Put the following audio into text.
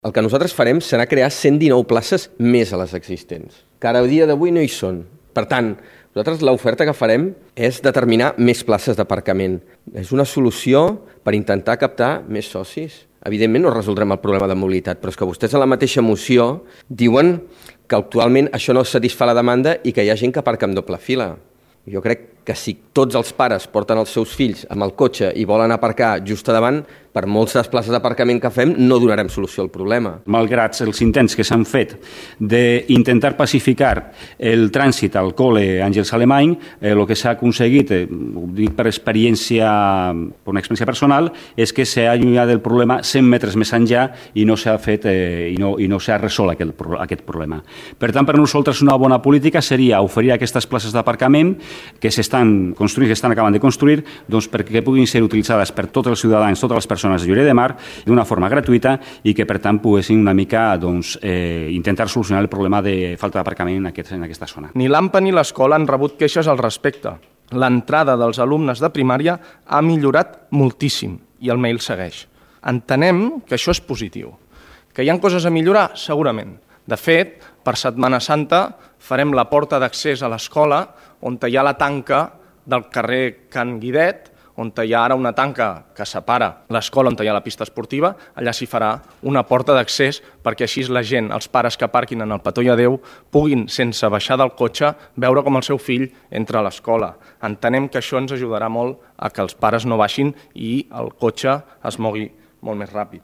El que nosaltres farem serà crear 119 places més a les existents, que ara a dia d'avui no hi són. Per tant, nosaltres l'oferta que farem és determinar més places d'aparcament. És una solució per intentar captar més socis. Evidentment no resoldrem el problema de mobilitat, però és que vostès a la mateixa moció diuen que actualment això no satisfà la demanda i que hi ha gent que aparca en doble fila. Jo crec que si tots els pares porten els seus fills amb el cotxe i volen aparcar just a davant, per moltes places d'aparcament que fem no donarem solució al problema. Malgrat els intents que s'han fet d'intentar pacificar el trànsit al col·le Àngels Alemany, el que s'ha aconseguit, ho dic per una experiència personal, és que s'ha allunyat del problema 100 metres més enllà i no s'ha fet i no s'ha resolt aquest problema. Per tant, per nosaltres una bona política seria oferir aquestes places d'aparcament que s'estan construint, que estan acabant de construir, doncs perquè puguin ser utilitzades per tots els ciutadans, totes les persones de Lloret de Mar, d'una forma gratuïta i que, per tant, poguessin una mica intentar solucionar el problema de falta d'aparcament en aquesta zona. Ni l'AMPA ni l'escola han rebut queixes al respecte. L'entrada dels alumnes de primària ha millorat moltíssim i el mail segueix. Entenem que això és positiu. Que hi ha coses a millorar? Segurament. De fet, per Setmana Santa farem la porta d'accés a l'escola on hi ha la tanca del carrer Can Guidet, on hi ha ara una tanca que separa l'escola on hi ha la pista esportiva, allà s'hi farà una porta d'accés perquè així la gent, els pares que aparquin en el Petó i Adéu, puguin, sense baixar del cotxe, veure com el seu fill entra a l'escola. Entenem que això ens ajudarà molt a que els pares no baixin i el cotxe es mogui molt més ràpid.